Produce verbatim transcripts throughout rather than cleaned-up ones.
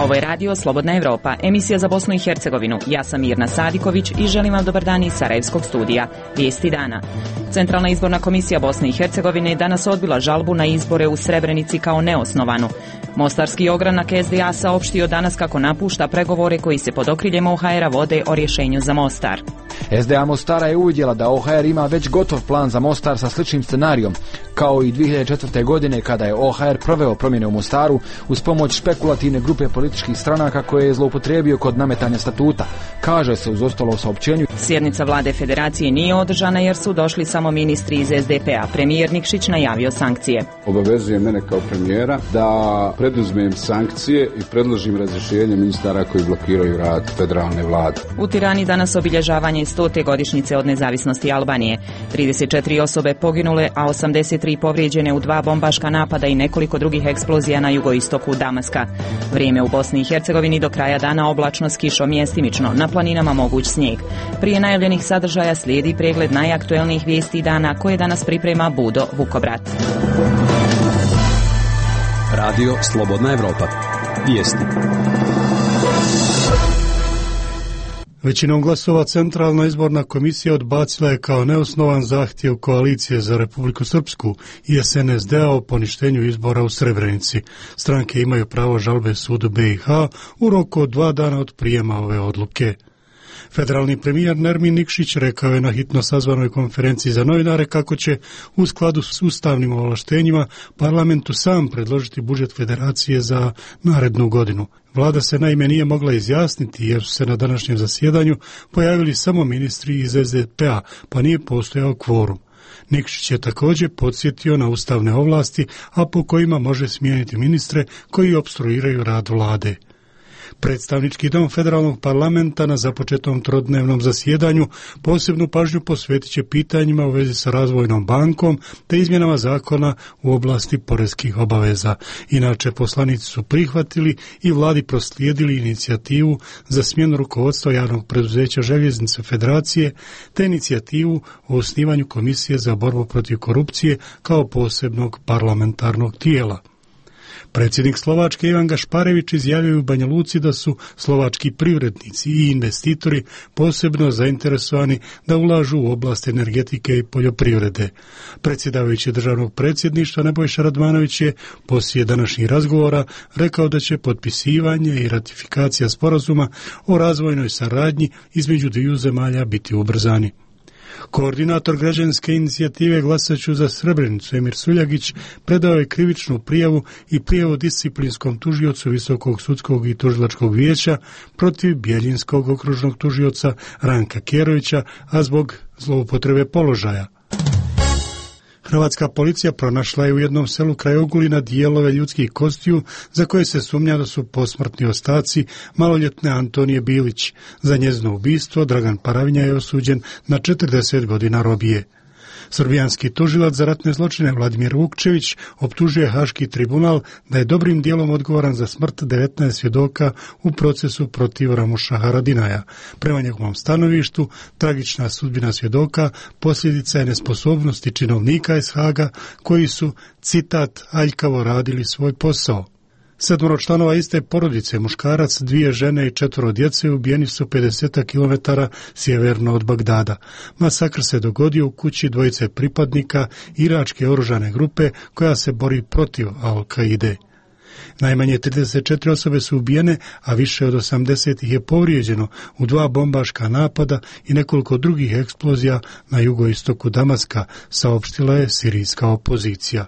Ovo je radio Slobodna Evropa, emisija za Bosnu i Hercegovinu. Ja sam Mirna Sadiković i želim vam dobar dan iz Sarajevskog studija. Vijesti dana. Centralna izborna komisija Bosne i Hercegovine danas odbila žalbu na izbore u Srebrenici kao neosnovanu. Mostarski ogranak es de a saopštio danas kako napušta pregovore koji se pod okriljem o ha era vode o rješenju za Mostar. es de a Mostara je uvidjela da o ha er ima već gotov plan za Mostar sa sličnim scenarijom, kao i dvije hiljade četvrte. godine kada je o ha er proveo promjene u Mostaru uz pomoć špekulativne grupe političkih stranaka koje je zloupotrijebio kod nametanja statuta, kaže se uz ostalo u saopćenju. Sjednica vlade federacije nije održana jer su došli samo ministri iz es de pe a. Premijer Nikšić najavio sankcije. Obavezuje mene kao premijera da preduzmem sankcije i predložim razrješenje ministara koji blokiraju rad federalne vlade. U Tirani danas obilježavanje stote godišnjice od nezavisnosti Albanije. trideset četiri osobe poginule, a osamdeset tri povrijeđene u dva bombaška napada i nekoliko drugih eksplozija na jugoistoku Damaska. Vrijeme u Bosni i Hercegovini do kraja dana oblačno s kišom mjestimično, na planinama moguć snijeg. Prije najavljenih sadržaja slijedi pregled najaktuelnijih vijesti dana koje danas priprema Budo Vukobrat. Radio Slobodna Evropa. Vijesti. Većinom glasova Centralna izborna komisija odbacila je kao neosnovan zahtjev Koalicije za Republiku Srpsku i es en es de a o poništenju izbora u Srebrenici. Stranke imaju pravo žalbe sudu be i ha u roku od dva dana od prijema ove odluke. Federalni premijer Nermin Nikšić rekao je na hitno sazvanoj konferenciji za novinare kako će u skladu s ustavnim ovlaštenjima parlamentu sam predložiti budžet federacije za narednu godinu. Vlada se naime nije mogla izjasniti jer su se na današnjem zasjedanju pojavili samo ministri iz es de pe a, pa nije postojao kvorum. Nikšić je također podsjetio na ustavne ovlasti, a po kojima može smijeniti ministre koji opstruiraju rad vlade. Predstavnički dom federalnog parlamenta na započetom trodnevnom zasjedanju posebnu pažnju posvetit će pitanjima u vezi sa razvojnom bankom te izmjenama zakona u oblasti poreskih obaveza. Inače, poslanici su prihvatili i vladi proslijedili inicijativu za smjenu rukovodstva javnog preduzeća Željeznice Federacije te inicijativu o osnivanju Komisije za borbu protiv korupcije kao posebnog parlamentarnog tijela. Predsjednik Slovačke Ivan Gašparević izjavio u Banja Luci da su slovački privrednici i investitori posebno zainteresovani da ulažu u oblast energetike i poljoprivrede. Predsjedavajući državnog predsjedništva Nebojša Radmanović je poslije današnjih razgovora rekao da će potpisivanje i ratifikacija sporazuma o razvojnoj saradnji između dviju zemalja biti ubrzani. Koordinator građanske inicijative Glasaću za Srebrenicu Emir Suljagić predao je krivičnu prijavu i prijavu disciplinskom tužiocu Visokog sudskog i tužilačkog vijeća protiv Bjeljinskog okružnog tužioca Ranka Kjerovića, a zbog zloupotrebe položaja. Hrvatska policija pronašla je u jednom selu kraj Ogulina dijelove ljudskih kostiju za koje se sumnja da su posmrtni ostaci maloljetne Antonije Bilić. Za njezino ubistvo Dragan Paravinja je osuđen na četrdeset godina robije. Srbijanski tužilac za ratne zločine Vladimir Vukčević optužuje Haški tribunal da je dobrim dijelom odgovoran za smrt devetnaest svjedoka u procesu protiv Ramuša Haradinaja. Prema njegovom stanovištu, tragična sudbina svjedoka posljedica je nesposobnosti činovnika iz Haga koji su, citat, aljkavo radili svoj posao. Sedmoro članova iste porodice, muškarac, dvije žene i četvoro djece ubijeni su pedeset kilometara sjeverno od Bagdada. Masakr se dogodio u kući dvojice pripadnika iračke oružane grupe koja se bori protiv Al-Kaide. Najmanje trideset četiri osobe su ubijene, a više od osamdeset ih je povrijeđeno u dva bombaška napada i nekoliko drugih eksplozija na jugoistoku Damaska, saopštila je sirijska opozicija.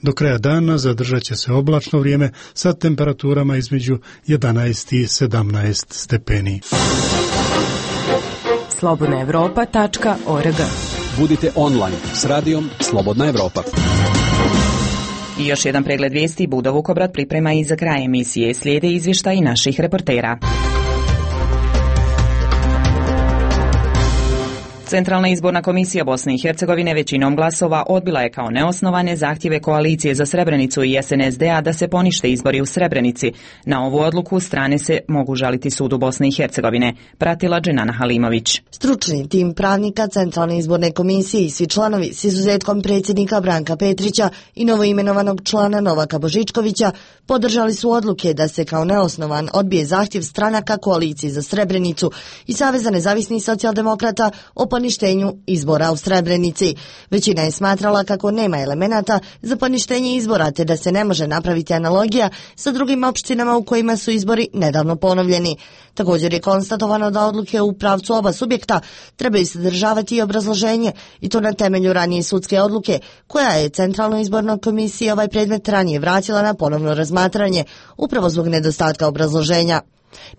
Do kraja dana zadržat će se oblačno vrijeme sa temperaturama između jedanaest i sedamnaest stepeni. slobodna evropa tačka org. Budite online s radijom Slobodna Evropa. I još jedan pregled vijesti Budo Vukobrat priprema i za kraj emisije. Slijede izvještaji naših reportera. Centralna izborna komisija Bosne i Hercegovine većinom glasova odbila je kao neosnovane zahtjeve koalicije za Srebrenicu i S N S D-a da se ponište izbori u Srebrenici. Na ovu odluku strane se mogu žaliti sudu Bosne i Hercegovine. Pratila Dženana Halimović. Stručni tim pravnika Centralne izborne komisije i svi članovi s izuzetkom predsjednika Branka Petrića i novoimenovanog člana Novaka Božičkovića podržali su odluke da se kao neosnovan odbije zahtjev stranaka koalicije za Srebrenicu i Saveza nezavisnih socijaldemokrata o poništenju izbora u Srebrenici. Većina je smatrala kako nema elemenata za poništenje izbora te da se ne može napraviti analogija sa drugim opštinama u kojima su izbori nedavno ponovljeni. Također je konstatovano da odluke u pravcu oba subjekta trebaju sadržavati i obrazloženje i to na temelju ranije sudske odluke koja je Centralnoj izbornoj komisiji ovaj predmet ranije vratila na ponovno razmatranje upravo zbog nedostatka obrazloženja.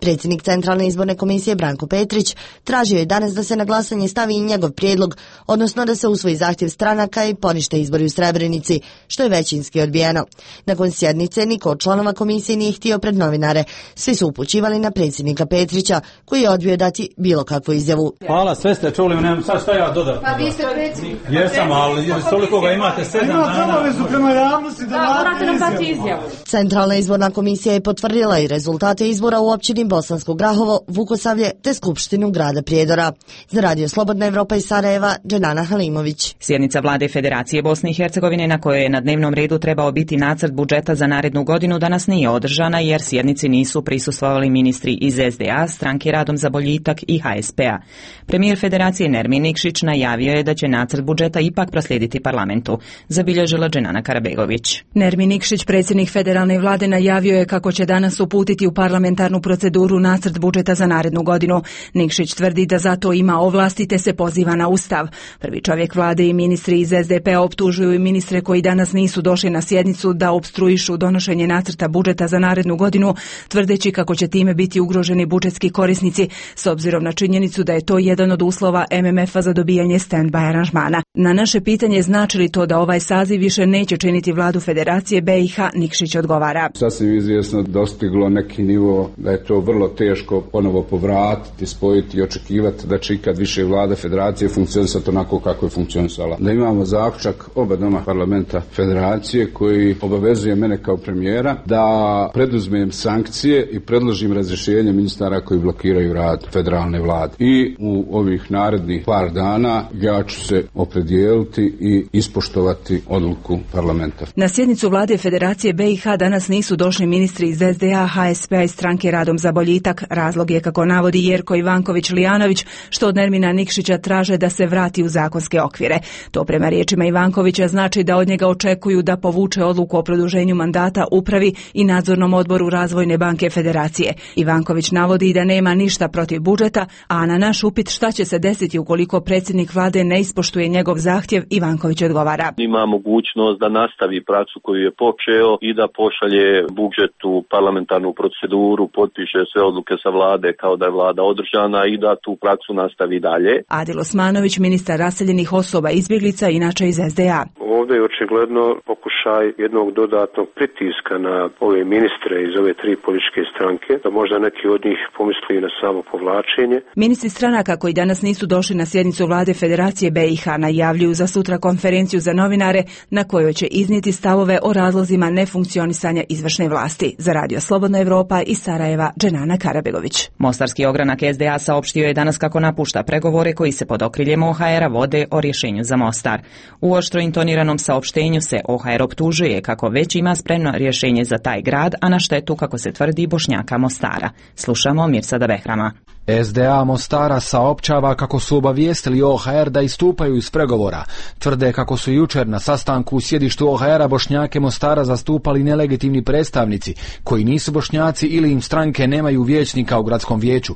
Predsjednik Centralne izborne komisije Branko Petrić tražio je danas da se na glasanje stavi i njegov prijedlog, odnosno da se usvoji zahtjev stranaka i ponište izbori u Srebrenici, što je većinski odbijeno. Nakon sjednice niko od članova komisije nije htio pred novinare. Svi su upućivali na predsjednika Petrića, koji je odbio dati bilo kakvu izjavu. Hvala, sve ste čuli, nemam sad šta ja dodati. Pa vi ste predsjednik. Jesam, ali toliko ga imate sedam dana. Imate obavezu prema javnosti da morate nam dati izjavu. Centralna izborna komisija je potvrdila i rezultate izbora u općini Bosansko Grahovo, Vukosavlje te Skupštinu grada Prijedora. Za Radio Slobodna Evropa iz Sarajeva, Dženana Halimović. Sjednica vlade Federacije Bosne i Hercegovine na kojoj je na dnevnom redu trebao biti nacrt budžeta za narednu godinu danas nije održana jer sjednici nisu prisustvovali ministri iz S D A, Stranke Radom za boljitak i H S P-a. Premijer Federacije Nermin Nikšić najavio je da će nacrt budžeta ipak proslijediti parlamentu, zabilježila Dženana Karabegović. Nermin Nikšić, predsjednik federalne vlade, najavio je kako će danas uputiti u parlamentarnu proceduru nacrt budžeta za narednu godinu. Nikšić tvrdi da zato ima ovlasti te se poziva na Ustav. Prvi čovjek vlade i ministri iz S D P-a optužuju i ministre koji danas nisu došli na sjednicu da opstruišu donošenje nacrta budžeta za narednu godinu, tvrdeći kako će time biti ugroženi budžetski korisnici, s obzirom na činjenicu da je to jedan od uslova M M F-a za dobijanje stand-by aranžmana. Na naše pitanje znači li to da ovaj saziv više neće činiti vladu Federacije B i H, Nikšić odgovara. Sasvim izvjesno dostiglo neki nivo da je to vrlo teško ponovo povratiti, spojiti i očekivati da će ikad više vlada Federacije funkcionisati onako kako je funkcionisala. Da imamo zaključak oba doma parlamenta Federacije koji obavezuje mene kao premijera da preduzmem sankcije i predložim razrješenje ministara koji blokiraju rad federalne vlade. I u ovih narednih par dana ja ću se opredijeliti i ispoštovati odluku parlamenta. Na sjednicu vlade Federacije B i H danas nisu došli ministri iz S D A, H S P-a i Stranke Radom za boljitak. Razlog je, kako navodi Jerko Ivanković-Lijanović, što od Nermina Nikšića traže da se vrati u zakonske okvire. To prema riječima Ivankovića znači da od njega očekuju da povuče odluku o produženju mandata upravi i nadzornom odboru Razvojne banke Federacije. Ivanković navodi da nema ništa protiv budžeta, a na naš upit šta će se desiti ukoliko predsjednik vlade ne ispoštuje njegov zahtjev, Ivanković odgovara. Ima mogućnost da nastavi praksu koju je počeo i da pošalje budžet u parlamentarnu proceduru, potpiše sve odluke sa vlade kao da je vlada održana i da tu praksu nastavi dalje. Adil Osmanović, ministar raseljenih osoba i izbjeglica, inače iz S D A. Ovdje je očigledno pokušaj jednog dodatnog pritiska na ove ministre iz ove tri političke stranke, da možda neki od njih pomisli na samo povlačenje. Ministri stranaka koji danas nisu došli na sjednicu vlade Federacije B i H najavljuju za sutra konferenciju za novinare na kojoj će iznijeti stavove o razlozima nefunkcionisanja izvršne vlasti. Za Radio Slobodna Evropa iz Sarajeva, Dženana Karabegović. Mostarski ogranak S D A saopštio je danas kako napušta pregovore koji se pod okriljem O H R-a vode o rješenju za Mostar. U oštro intoniranom saopštenju se O H R optužuje kako već ima spremno rješenje za taj grad, a na štetu, kako se tvrdi, Bošnjaka Mostara. Slušamo Mirsada Behrama. S D A Mostara saopćava kako su obavijestili O H R da istupaju iz pregovora. Tvrde kako su jučer na sastanku u sjedištu O H R-a Bošnjake Mostara zastupali nelegitimni predstavnici koji nisu Bošnjaci ili im stranke nemaju vijećnika u gradskom vijeću.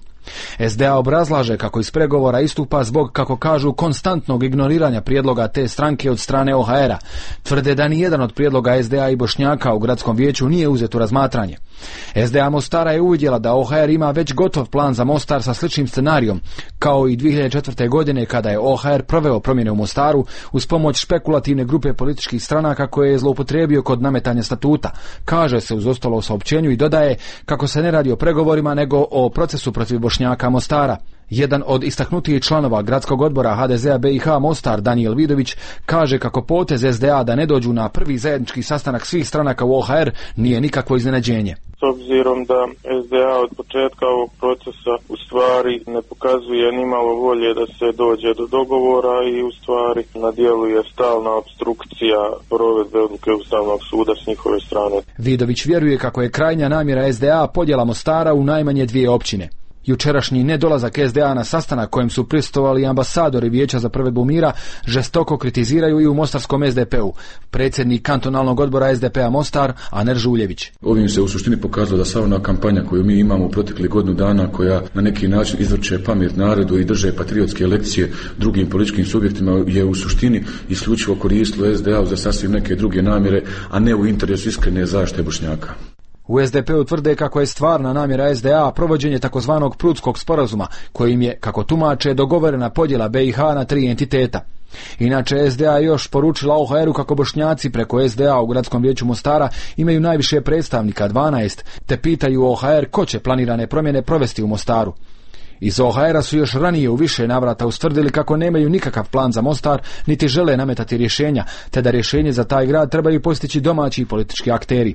S D A obrazlaže kako iz pregovora istupa zbog, kako kažu, konstantnog ignoriranja prijedloga te stranke od strane O H R-a. Tvrde da ni jedan od prijedloga S D A i Bošnjaka u gradskom vijeću nije uzet u razmatranje. S D A Mostara je uvidjela da O H R ima već gotov plan za Mostar sa sličnim scenarijom, kao i dvije hiljade četvrte. godine kada je O H R proveo promjene u Mostaru uz pomoć špekulativne grupe političkih stranaka koje je zloupotrijebio kod nametanja statuta. Kaže se uz ostalo saopćenju i dodaje kako se ne radi o pregovorima nego o procesu protiv Bošnjaka Mostara. Jedan od istaknutijih članova gradskog odbora ha de zea be i ha Mostar, Danijel Vidović, kaže kako potez es de a da ne dođu na prvi zajednički sastanak svih stranaka u o ha er nije nikakvo iznenađenje. S obzirom da es de a od početka ovog procesa u stvari ne pokazuje ni malo volje da se dođe do dogovora i u stvari na dijelu je stalna obstrukcija provedbe odluke Ustavnog suda s njihove strane. Vidović vjeruje kako je krajnja namjera es de a podjela Mostara u najmanje dvije općine. Jučerašnji nedolazak es de a na sastanak kojem su prisustvovali ambasadori Vijeća za provedbu mira žestoko kritiziraju i u mostarskom es de pe-u. Predsjednik kantonalnog odbora es de pe-a Mostar, Aner Žuljević. Ovim se u suštini pokazalo da sva ona kampanja koju mi imamo u proteklih godinu dana, koja na neki način izvrće pamet narodu i drže patriotske lekcije drugim političkim subjektima, je u suštini isključivo koristilo es de a za sasvim neke druge namjere, a ne u interesu iskrene zaštite Bošnjaka. U es de pe-u tvrde kako je stvarna namjera es de a provođenje takozvanog Prudskog sporazuma, kojim je, kako tumače, dogovorena podjela be i ha na tri entiteta. Inače, es de a je još poručila o ha er-u kako Bošnjaci preko es de a u Gradskom vijeću Mostara imaju najviše predstavnika, dvanaest, te pitaju o ha er ko će planirane promjene provesti u Mostaru. Iz o ha er-a su još ranije u više navrata ustvrdili kako nemaju nikakav plan za Mostar, niti žele nametati rješenja, te da rješenje za taj grad trebaju postići domaći politički akteri.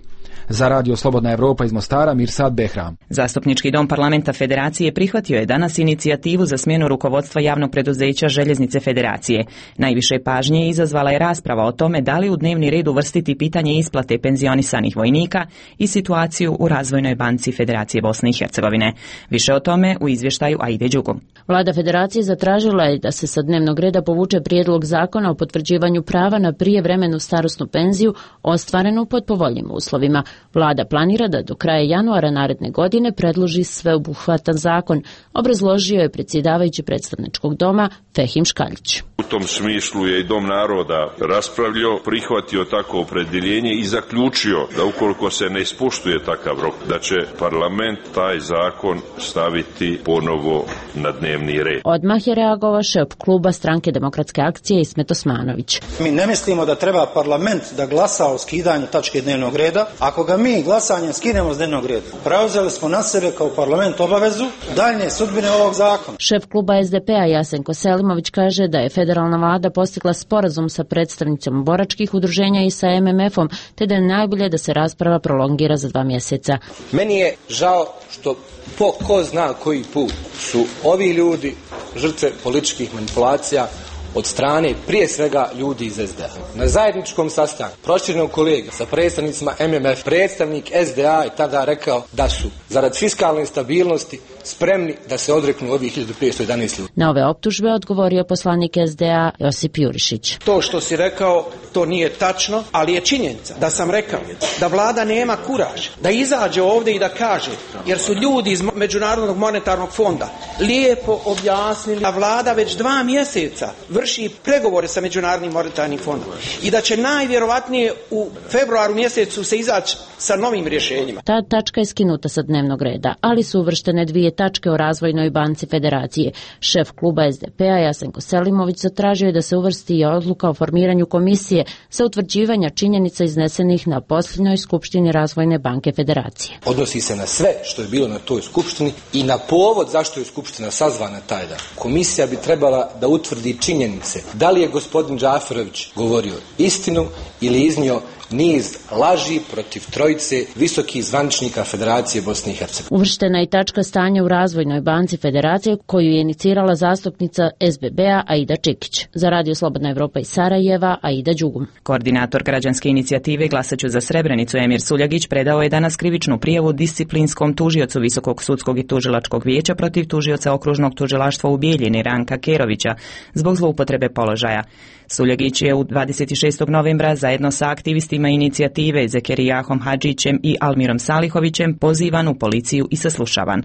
Za Radio Slobodna Evropa iz Mostara, Mirsad Behram. Zastupnički dom parlamenta Federacije prihvatio je danas inicijativu za smjenu rukovodstva javnog preduzeća Željeznice Federacije. Najviše pažnje izazvala je rasprava o tome da li u dnevni red uvrstiti pitanje isplate penzionisanih vojnika i situaciju u Razvojnoj banci Federacije Bosne i Hercegovine. Više o tome u izvještaju Aide Đugum. Vlada Federacije zatražila je da se sa dnevnog reda povuče prijedlog zakona o potvrđivanju prava na prijevremenu starosnu penziju ostvarenu pod povoljnim uslovima. Vlada planira da do kraja januara naredne godine predloži sveobuhvatan zakon, obrazložio je predsjedavajući predstavničkog doma Fehim Škaljić. U tom smislu je i Dom naroda raspravljao, prihvatio tako opredjeljenje i zaključio da ukoliko se ne ispoštuje takav rok, da će parlament taj zakon staviti ponovo na dnevni red. Odmah je reagovao šef kluba Stranke demokratske akcije Ismet Osmanović. Mi ne mislimo da treba parlament da glasa o skidanju tačke dnevnog reda. Ako ga mi glasanjem skinemo s dnevnog reda, preuzeli smo na sebe kao parlament obavezu daljnje sudbine ovog zakona. Šef kluba es de pe-a Jasenko Selimović kaže da je federalna vlada postigla sporazum sa predstavnicom boračkih udruženja i sa em em ef-om, te da je najbolje da se rasprava prolongira za dva mjeseca. Meni je žao što po ko zna koji put su ovi ljudi žrtve političkih manipulacija od strane prije svega ljudi iz es de a. Na zajedničkom sastanku proširenog kolega sa predstavnicima em em ef, predstavnik es de a je tada rekao da su zarad fiskalne stabilnosti spremni da se odreknu ovih hiljadu petsto jedanaest ljudi. Na ove optužbe odgovorio poslanik es de a Josip Jurišić. To što si rekao, to nije tačno, ali je činjenica da sam rekao da vlada nema kuraž da izađe ovdje i da kaže, jer su ljudi iz Međunarodnog monetarnog fonda lijepo objasnili da vlada već dva mjeseca vrši pregovore sa Međunarodnim monetarnim fondom i da će najvjerovatnije u februaru mjesecu se izaći sa novim rješenjima. Ta tačka je skinuta sa dnevnog reda, ali su uvrštene dvije tačke o Razvojnoj banci Federacije. Šef kluba es de pe-a Jasenko Selimović zatražio je da se uvrsti i odluka o formiranju komisije za utvrđivanje činjenica iznesenih na posljednjoj skupštini Razvojne banke Federacije. Odnosi se na sve što je bilo na toj skupštini i na povod zašto je skupština sazvana taj dan. Komisija bi trebala da utvrdi činjenice. Da li je gospodin Džaferović govorio istinu ili iznio niz laži protiv trojice visokih zvaničnika Federacije Bosne i Hercegovine. Uvrštena je i tačka stanja u Razvojnoj banci Federacije koju je inicirala zastupnica es be be-a Aida Čikić. Za Radio Slobodna Evropa iz Sarajeva, Aida Đugum. Koordinator građanske inicijative Glasaću za Srebrenicu Emir Suljagić predao je danas krivičnu prijavu disciplinskom tužiocu Visokog sudskog i tužilačkog vijeća protiv tužioca okružnog tužilaštva u Bijeljini Ranka Kerovića zbog zloupotrebe položaja. Suljagić je u dvadeset šestog novembra zajedno sa aktivistima inicijative Zekerijahom Hadžićem i Almirom Salihovićem pozivan u policiju i saslušavan.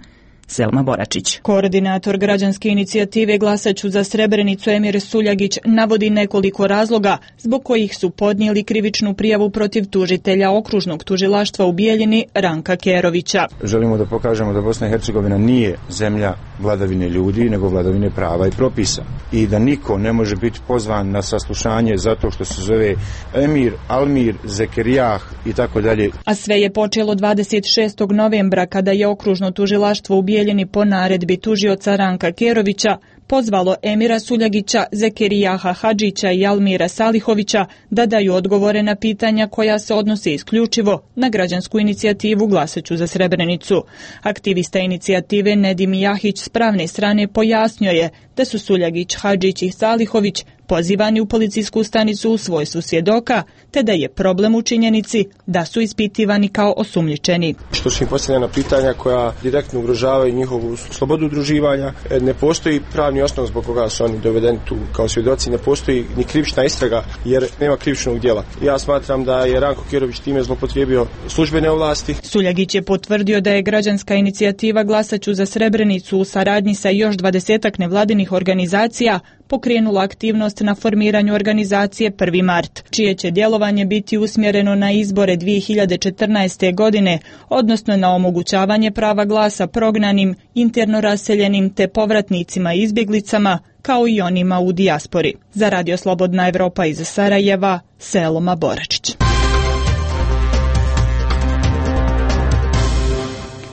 Selma Boračić. Koordinator građanske inicijative Glasaću za Srebrenicu Emir Suljagić navodi nekoliko razloga zbog kojih su podnijeli krivičnu prijavu protiv tužitelja okružnog tužilaštva u Bijeljini Ranka Kerovića. Želimo da pokažemo da Bosna i Hercegovina nije zemlja vladavine ljudi, nego vladavine prava i propisa. I da niko ne može biti pozvan na saslušanje zato što se zove Emir, Almir, Zekerijah i tako dalje. A sve je počelo dvadeset šestog novembra kada je okružno tužilaštvo u Bijeljini Bijeljini po naredbi tužioca Ranka Kerovića pozvalo Emira Suljagića, Zekerijaha Hadžića i Almira Salihovića da daju odgovore na pitanja koja se odnose isključivo na građansku inicijativu Glasaću za Srebrenicu. Aktivista inicijative Nedim Jahić s pravne strane pojasnio je da su Suljagić, Hadžić i Salihović pozivani u policijsku stanicu u svojstvu svjedoka, te da je problem u činjenici da su ispitivani kao osumnjičeni. Što su im postavljena pitanja koja direktno ugrožavaju njihovu slobodu udruživanja, ne postoji pravni osnov zbog koga su oni dovedeni tu kao svjedoci, ne postoji ni krivična istraga jer nema krivičnog djela. Ja smatram da je Ranko Kerović time zloupotrijebio službene ovlasti. Suljagić je potvrdio da je građanska inicijativa Glasaću za Srebrenicu u saradnji sa još dvadesetak nevladinih organizacija pokrenula aktivnost na formiranju organizacije prvi mart, čije će djelovanje biti usmjereno na izbore dvije hiljade četrnaeste. godine, odnosno na omogućavanje prava glasa prognanim, interno raseljenim te povratnicima i izbjeglicama, kao i onima u dijaspori. Za Radio Slobodna Evropa iz Sarajeva, Seloma Boračić.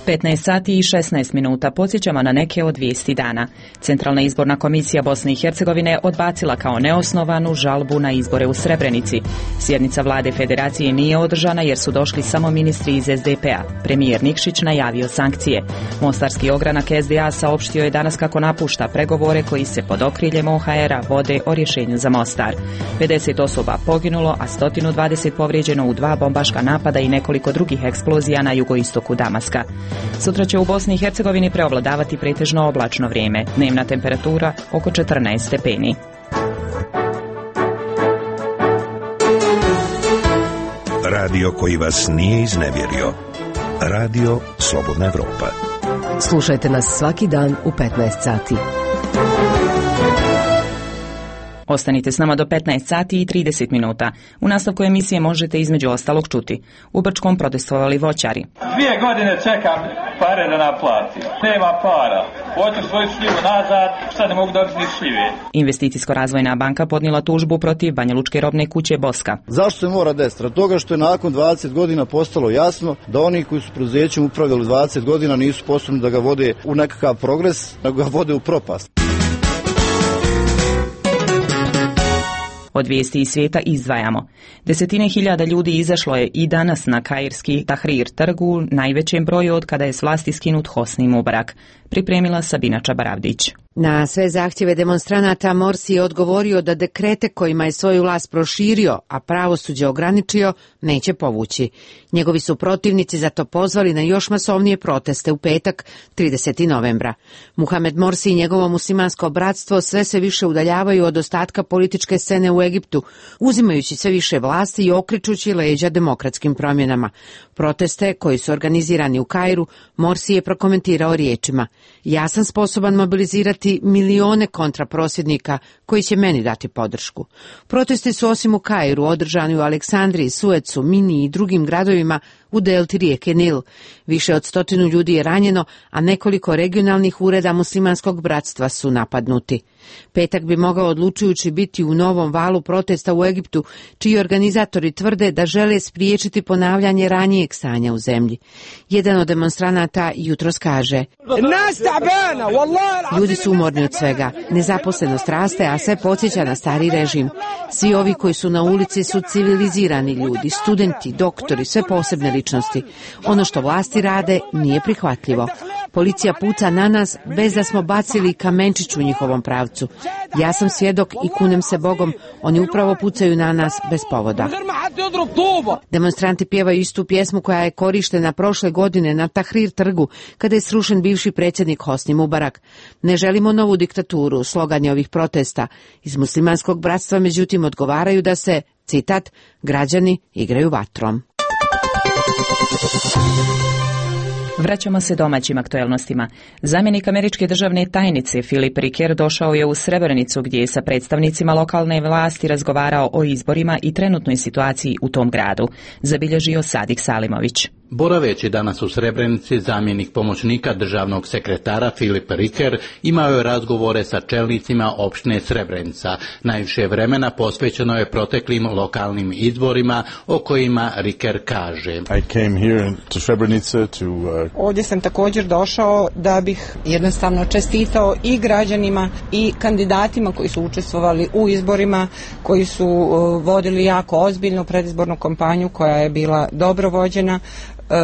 petnaest sati i šesnaest minuta podsjećamo na neke od vijesti dana. Centralna izborna komisija Bosne i Hercegovine odbacila kao neosnovanu žalbu na izbore u Srebrenici. Sjednica vlade federacije nije održana jer su došli samo ministri iz es de pe a. Premijer Nikšić najavio sankcije. Mostarski ogranak es de a saopštio je danas kako napušta pregovore koji se pod okriljem o ha era vode o rješenju za Mostar. pedeset osoba poginulo, a sto dvadeset povrijeđeno u dva bombaška napada i nekoliko drugih eksplozija na jugoistoku Damaska. Sutra će u Bosni i Hercegovini preovladavati pretežno oblačno vrijeme. Dnevna temperatura oko četrnaest stepeni. Radio koji vas nije iznevjerio. Radio Slobodna Evropa. Slušajte nas svaki dan u petnaest sati. Ostanite s nama do petnaest sati i trideset minuta. U nastavku emisije možete između ostalog čuti. U Brčkom protestovali voćari. Dvije godine čekam pare da naplatim. Nema para. Hoću svoju šljivu nazad, sad ne mogu dobiti ni šljive. Investicijsko-razvojna banka podnijela tužbu protiv Banjalučke robne kuće Boska. Zašto se mora desiti? Radi toga što je nakon dvadeset godina postalo jasno da oni koji su preduzećem upravljali dvadeset godina nisu sposobni da ga vode u nekakav progres, nego ga vode u propast. Od vijesti iz svijeta izdvajamo. Desetine hiljada ljudi izašlo je i danas na kairski Tahrir trgu, najvećem broju od kada je s vlasti skinut Hosni Mubarak. Pripremila Sabina Čabaravdić. Na sve zahtjeve demonstranata Morsi je odgovorio da dekrete kojima je svoju vlast proširio, a pravosuđe ograničio, neće povući. Njegovi su protivnici zato pozvali na još masovnije proteste u petak, tridesetog novembra. Muhamed Morsi i njegovo muslimansko bratstvo sve se više udaljavaju od ostatka političke scene u Egiptu, uzimajući sve više vlasti i okrećući leđa demokratskim promjenama. Proteste, koji su organizirani u Kairu, Morsi je prokomentirao riječima: ja sam sposoban mobilizirati milione kontraprosvjednika koji će meni dati podršku. Protesti su osim u Kairu održani u Aleksandriji, Suecu, Mini i drugim gradovima u delti rijeke Nil. Više od stotinu ljudi je ranjeno, a nekoliko regionalnih ureda muslimanskog bratstva su napadnuti. Petak bi mogao odlučujući biti u novom valu protesta u Egiptu, čiji organizatori tvrde da žele spriječiti ponavljanje ranijeg stanja u zemlji. Jedan od demonstranata jutros kaže: ljudi su umorni od svega, nezaposlenost raste, a sve podsjeća na stari režim. Svi ovi koji su na ulici su civilizirani ljudi, studenti, doktori, sve posebne ličnosti. Ono što vlasti rade nije prihvatljivo. Policija puca na nas bez da smo bacili kamenčić u njihovom pravcu. Ja sam svjedok i kunem se Bogom, oni upravo pucaju na nas bez povoda. Demonstranti pjevaju istu pjesmu koja je korištena prošle godine na Tahrir trgu, kada je srušen bivši predsjednik Hosni Mubarak. Ne želimo novu diktaturu, slogan je ovih protesta. Iz muslimanskog bratstva međutim odgovaraju da se, citat, građani igraju vatrom. Vraćamo se domaćim aktuelnostima. Zamjenik američke državne tajnice Filip Riker došao je u Srebrenicu gdje je sa predstavnicima lokalne vlasti razgovarao o izborima i trenutnoj situaciji u tom gradu, zabilježio Sadik Salimović. Boraveći danas u Srebrenici, zamjenik pomoćnika državnog sekretara Filip Riker imao je razgovore sa čelnicima opštine Srebrenica. Najviše vremena posvećeno je proteklim lokalnim izborima o kojima Riker kaže. I came here to Srebrenica to, uh... Ovdje sam također došao da bih jednostavno čestitao i građanima i kandidatima koji su učestvovali u izborima, koji su uh, vodili jako ozbiljnu predizbornu kampanju koja je bila dobro vođena. E,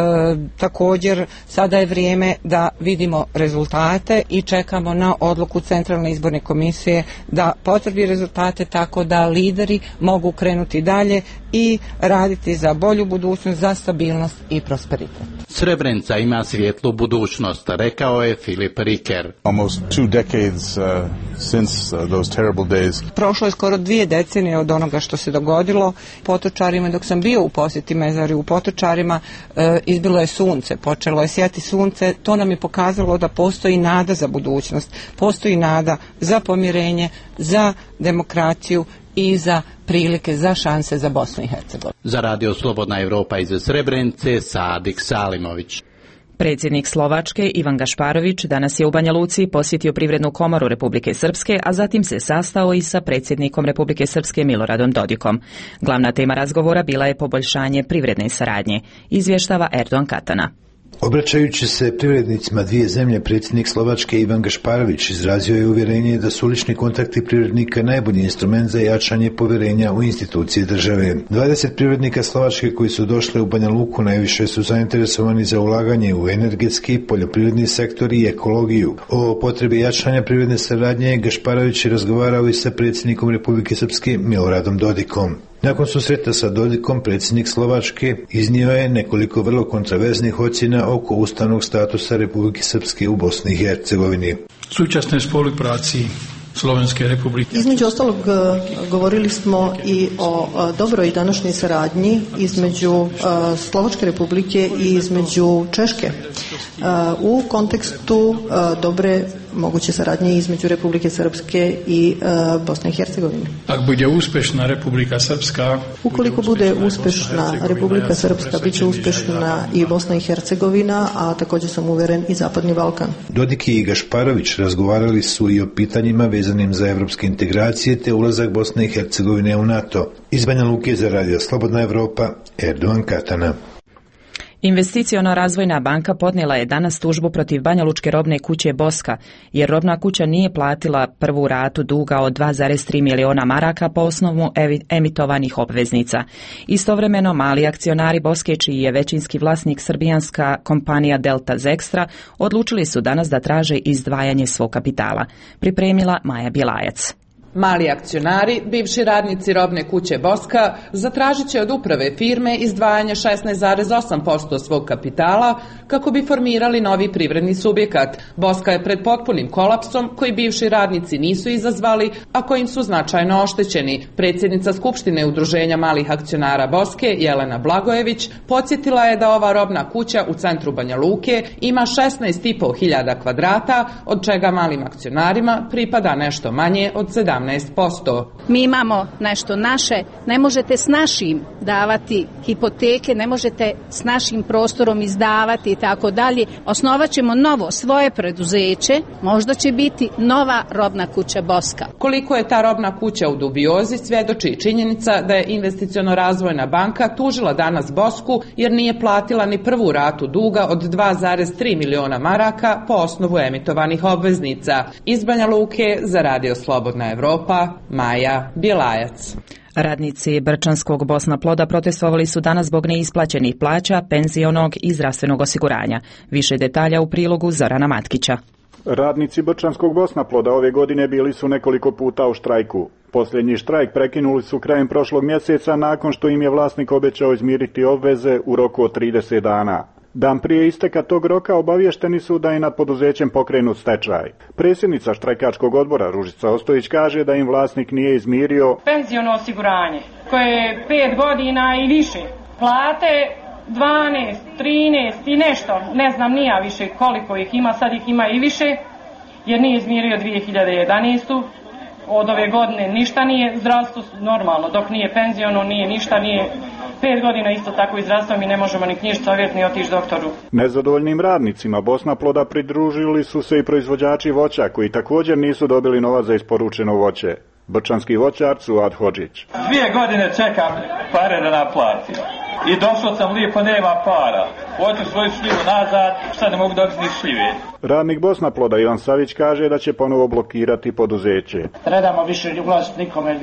također sada je vrijeme da vidimo rezultate i čekamo na odluku Centralne izborne komisije da potvrdi rezultate tako da lideri mogu krenuti dalje i raditi za bolju budućnost, za stabilnost i prosperitet. Srebrenica ima svjetlu budućnost, rekao je Filip Riker. Almost two decades uh, since uh, those terrible days. Prošlo je skoro dvije decenije od onoga što se dogodilo. Potočarima, dok sam bio u posjeti Mezari u Potočarima, e, izbilo je sunce, počelo je sjati sunce, to nam je pokazalo da postoji nada za budućnost, postoji nada za pomirenje, za demokraciju i za prilike, za šanse za Bosnu i Hercegovinu. Za Radio Slobodna Evropa iz Srebrenice, Sadik Salimović. Predsjednik Slovačke Ivan Gašparović danas je u Banja Luci posjetio Privrednu komoru Republike Srpske, a zatim se sastao i sa predsjednikom Republike Srpske Miloradom Dodikom. Glavna tema razgovora bila je poboljšanje privredne saradnje, izvještava Erdogan Katana. Obraćajući se privrednicima dvije zemlje, predsjednik Slovačke Ivan Gašparović izrazio je uvjerenje da su lični kontakti privrednika najbolji instrument za jačanje povjerenja u institucije države. dvadeset privrednika Slovačke koji su došli u Banja Luku najviše su zainteresovani za ulaganje u energetski, poljoprivredni sektor i ekologiju. O potrebi jačanja privredne saradnje Gašparović je razgovarao i sa predsjednikom Republike Srpske Miloradom Dodikom. Nakon susreta sa Dodikom, predsjednik Slovačke iznio je nekoliko vrlo kontroverznih ocjena oko ustavnog statusa Republike Srpske u Bosni i Hercegovini. Súčasnej spolupráci Slovenske republike. Između ostalog govorili smo i o dobroj današnjoj saradnji između Slovačke republike i između Češke u kontekstu dobre moguće saradnje između Republike Srpske i Bosne i Hercegovine. Ako bude uspješna Republika Srpska, ukoliko bude uspješna Republika Srpska, bit će uspješna i Bosna i Hercegovina, a također sam uvjeren i Zapadni Balkan. Dodik i Gašparović razgovarali su i o pitanjima vezanim za evropske integracije te ulazak Bosne i Hercegovine u NATO. Iz Banja Luke za Radio Slobodna Evropa, Erdogan Katana. Investiciona razvojna banka podnijela je danas tužbu protiv banjalučke robne kuće Boska, jer robna kuća nije platila prvu ratu duga od dva zarez tri miliona maraka po osnovu emitovanih obveznica. Istovremeno, mali akcionari Boske, čiji je većinski vlasnik srbijanska kompanija Delta Zextra, odlučili su danas da traže izdvajanje svog kapitala. Pripremila Maja Bjelajac. Mali akcionari, bivši radnici robne kuće Boska, zatražit će od uprave firme izdvajanje šesnaest zarez osam posto svog kapitala kako bi formirali novi privredni subjekat. Boska je pred potpunim kolapsom koji bivši radnici nisu izazvali, a kojim su značajno oštećeni. Predsjednica Skupštine Udruženja malih akcionara Boske, Jelena Blagojević, podsjetila je da ova robna kuća u centru Banja Luke ima šesnaest i po hiljada kvadrata, od čega malim akcionarima pripada nešto manje od sedamnaest posto. Mi imamo nešto naše, ne možete s našim davati hipoteke, ne možete s našim prostorom izdavati i tako dalje. Osnovat ćemo novo svoje preduzeće, možda će biti nova robna kuća Boska. Koliko je ta robna kuća u dubiozi svjedoči činjenica da je Investiciono razvojna banka tužila danas Bosku jer nije platila ni prvu ratu duga od dva zarez tri miliona maraka po osnovu emitovanih obveznica. Iz Banja Luke za Radio Slobodna Evropa, Maja Bjelajac. Radnici Brčanskog Bosna Ploda protestovali su danas zbog neisplaćenih plaća, penzionog i zdravstvenog osiguranja. Više detalja u prilogu Zorana Matkića. Radnici Brčanskog Bosna Ploda ove godine bili su nekoliko puta u štrajku. Posljednji štrajk prekinuli su krajem prošlog mjeseca nakon što im je vlasnik obećao izmiriti obveze u roku od trideset dana. Dan prije isteka tog roka obavješteni su da je nad poduzećem pokrenut stečaj. Predsjednica štrajkačkog odbora Ružica Ostojić kaže da im vlasnik nije izmirio penziono osiguranje koje je pet godina i više, plate dvanaest, trinaest i nešto, ne znam nija više koliko ih ima, sad ih ima i više, jer nije izmirio dvije hiljade jedanaeste. Od ove godine ništa nije, zdravstvo normalno, dok nije penziono, nije ništa, nije Pet godina isto tako izrastao, mi ne možemo ni knjižicu ovjeriti ni otići doktoru. Nezadovoljnim radnicima Bosnaploda pridružili su se i proizvođači voća koji također nisu dobili novac za isporučeno voće. Brčanski voćar Suad Hodžić. Dvije godine čekam pare da naplatim. I došao sam lijepo, nema para. Hoću svoju šljivu nazad, šta ne mogu dobiti ni šljive. Radnik Bosnaploda Ivan Savić kaže da će ponovo blokirati poduzeće. Ne damo više ulaziti nikome,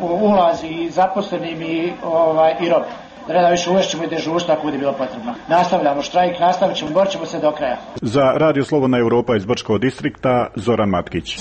ulazi i zaposlenim i, ovaj, i rob. Ne da više uvešćemo i dežurstvo ako bude bilo potrebno. Nastavljamo štrajk, nastavit ćemo, borit ćemo se do kraja. Za Radio Slobodna Europa iz Brčkog distrikta, Zoran Matkić.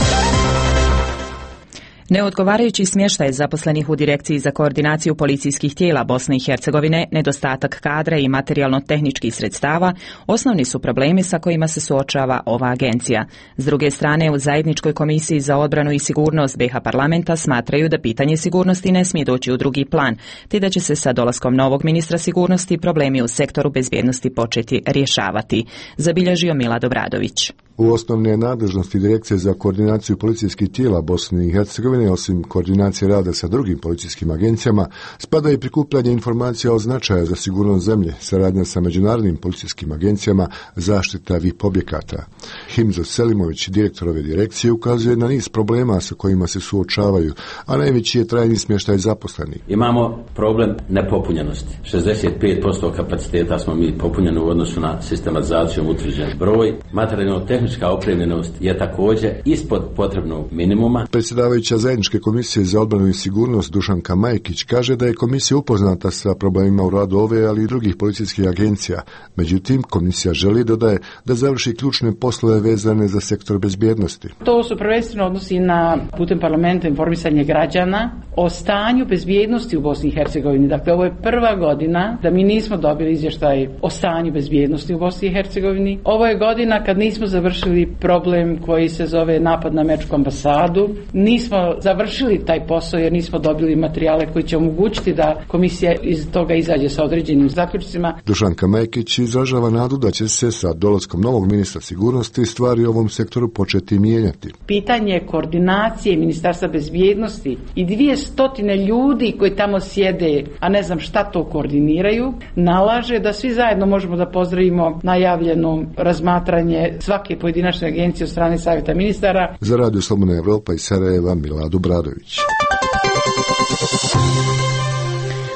Neodgovarajući smještaj zaposlenih u Direkciji za koordinaciju policijskih tijela Bosne i Hercegovine, nedostatak kadra i materijalno-tehničkih sredstava osnovni su problemi sa kojima se suočava ova agencija. S druge strane, u Zajedničkoj komisiji za odbranu i sigurnost B i H parlamenta smatraju da pitanje sigurnosti ne smije doći u drugi plan, te da će se sa dolaskom novog ministra sigurnosti problemi u sektoru bezbjednosti početi rješavati, zabilježio Milad Obradović. U osnovne nadležnosti Direkcije za koordinaciju policijskih tijela Bosne i Hercegovine, osim koordinacije rada sa drugim policijskim agencijama, spada i prikupljanje informacija o značaju za sigurnost zemlje, saradnja sa međunarodnim policijskim agencijama, zaštita V I P objekata. Himzo Selimović, direktor ove direkcije, ukazuje na niz problema sa kojima se suočavaju, a najveći je trajni smještaj zaposlenih. Imamo problem nepopunjenosti. šezdeset pet posto kapaciteta smo mi popunjeni u odnosu na sistematizacijom utvrđen broj. Materijalno-tehnička opremljenost je također ispod potrebnog minimuma. Predsjedavajuća Zajedničke komisije za odbranu i sigurnost Dušanka Majkić kaže da je komisija upoznata sa problemima u radu ove, ali i drugih policijskih agencija. Međutim, komisija želi, dodaje, da završi ključne poslove vezane za sektor bezbjednosti. To su prvenstveno odnosi na putem parlamenta informisanje građana o stanju bezbjednosti u Bosni i Hercegovini. Dakle, ovo je prva godina da mi nismo dobili izvještaj o stanju bezbjednosti u Bosni i Hercegovini. Ovo je godina kad nismo završili problem koji se zove napad na američku ambasadu. Nismo završili taj posao jer nismo dobili materijale koji će omogućiti da komisija iz toga izađe sa određenim zaključcima. Dušanka Majkić izražava nadu da će se sa dolaskom novog ministra sigurnosti stvari u ovom sektoru početi mijenjati. Pitanje koordinacije Ministarstva bezbjednosti i dvije stotine ljudi koji tamo sjede, a ne znam šta to koordiniraju, nalaže da svi zajedno možemo da pozdravimo najavljeno razmatranje svake pojedinačne agencije od strane Savjeta ministara. Za Radio Slobodna Evropa iz Sarajeva, Milad Obradović.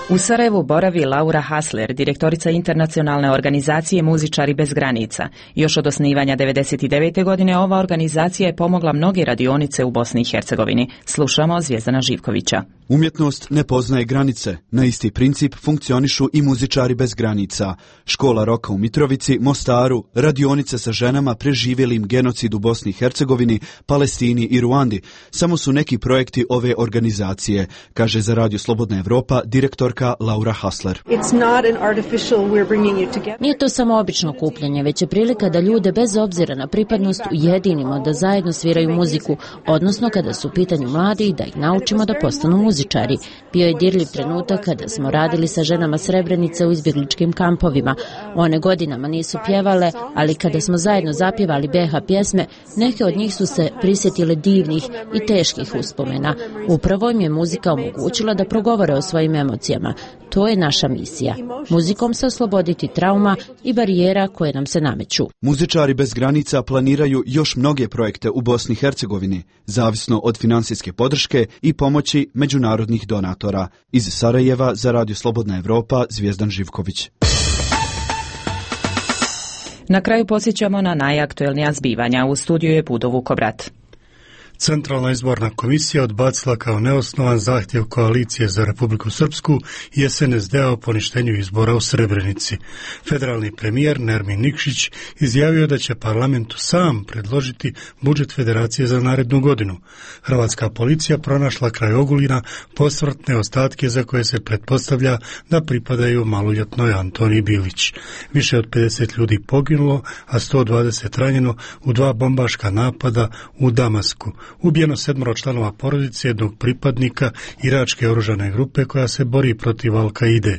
U Sarajevu boravi Laura Hasler, direktorica internacionalne organizacije Muzičari bez granica. Još od osnivanja devedeset devete godine ova organizacija je pomogla mnoge radionice u Bosni i Hercegovini. Slušamo Zvijezdana Živkovića. Umjetnost ne poznaje granice. Na isti princip funkcionišu i Muzičari bez granica. Škola roka u Mitrovici, Mostaru, radionice sa ženama preživjelim genocid u Bosni i Hercegovini, Palestini i Ruandi. Samo su neki projekti ove organizacije, kaže za Radio Slobodna Evropa direktorka Laura Hasler. Nije to samo obično okupljanje, već je prilika da ljude bez obzira na pripadnost ujedinimo da zajedno sviraju muziku, odnosno kada su u pitanju mladi da ih naučimo da postanu muzičari. Bio je dirljiv trenutak kada smo radili sa ženama Srebrenice u izbjegličkim kampovima. One godinama nisu pjevale, ali kada smo zajedno zapjevali B H pjesme, neke od njih su se prisjetile divnih i teških uspomena. Upravo im je muzika omogućila da progovore o svojim emocijama. To je naša misija. Muzikom se osloboditi trauma i barijera koje nam se nameću. Muzičari bez granica planiraju još mnoge projekte u Bosni i Hercegovini, zavisno od financijske podrške i pomoći međunarodnih donatora. Iz Sarajeva za Radio Slobodna Evropa, Zvijezdan Živković. Na kraju podsjećamo na najaktuelnija zbivanja. U studiju je Budo Vukobrat. Centralna izborna komisija odbacila kao neosnovan zahtjev Koalicije za Republiku Srpsku i S N S D-a o poništenju izbora u Srebrenici. Federalni premijer Nermin Nikšić izjavio da će parlamentu sam predložiti budžet federacije za narednu godinu. Hrvatska policija pronašla kraj Ogulina posmrtne ostatke za koje se pretpostavlja da pripadaju maloljetnoj Antoni Bilić. Više od pedeset ljudi poginulo, a sto dvadeset ranjeno u dva bombaška napada u Damasku. Ubijeno sedmoro članova porodice jednog pripadnika iračke oružane grupe koja se bori protiv Al-Kaide.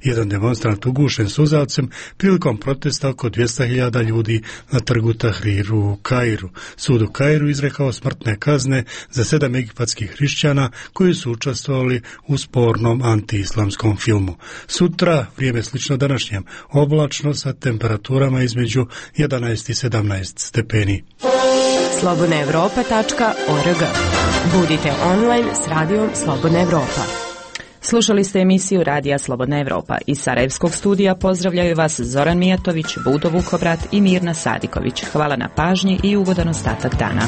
Jedan demonstrant ugušen suzavcem prilikom protesta oko dvjesto hiljada ljudi na trgu Tahriru u Kairu. Sud u Kairu izrekao smrtne kazne za sedam egipatskih hrišćana koji su učestvovali u spornom antiislamskom filmu. Sutra, vrijeme slično današnjem, oblačno sa temperaturama između jedanaest i sedamnaest stepeni. slobodna evropa tačka org. Budite online s radijom Slobodna Evropa. Slušali ste emisiju Radija Slobodna Evropa. Iz Sarajevskog studija pozdravljaju vas Zoran Mijatović, Budo Vukobrat i Mirna Sadiković. Hvala na pažnji i ugodan ostatak dana.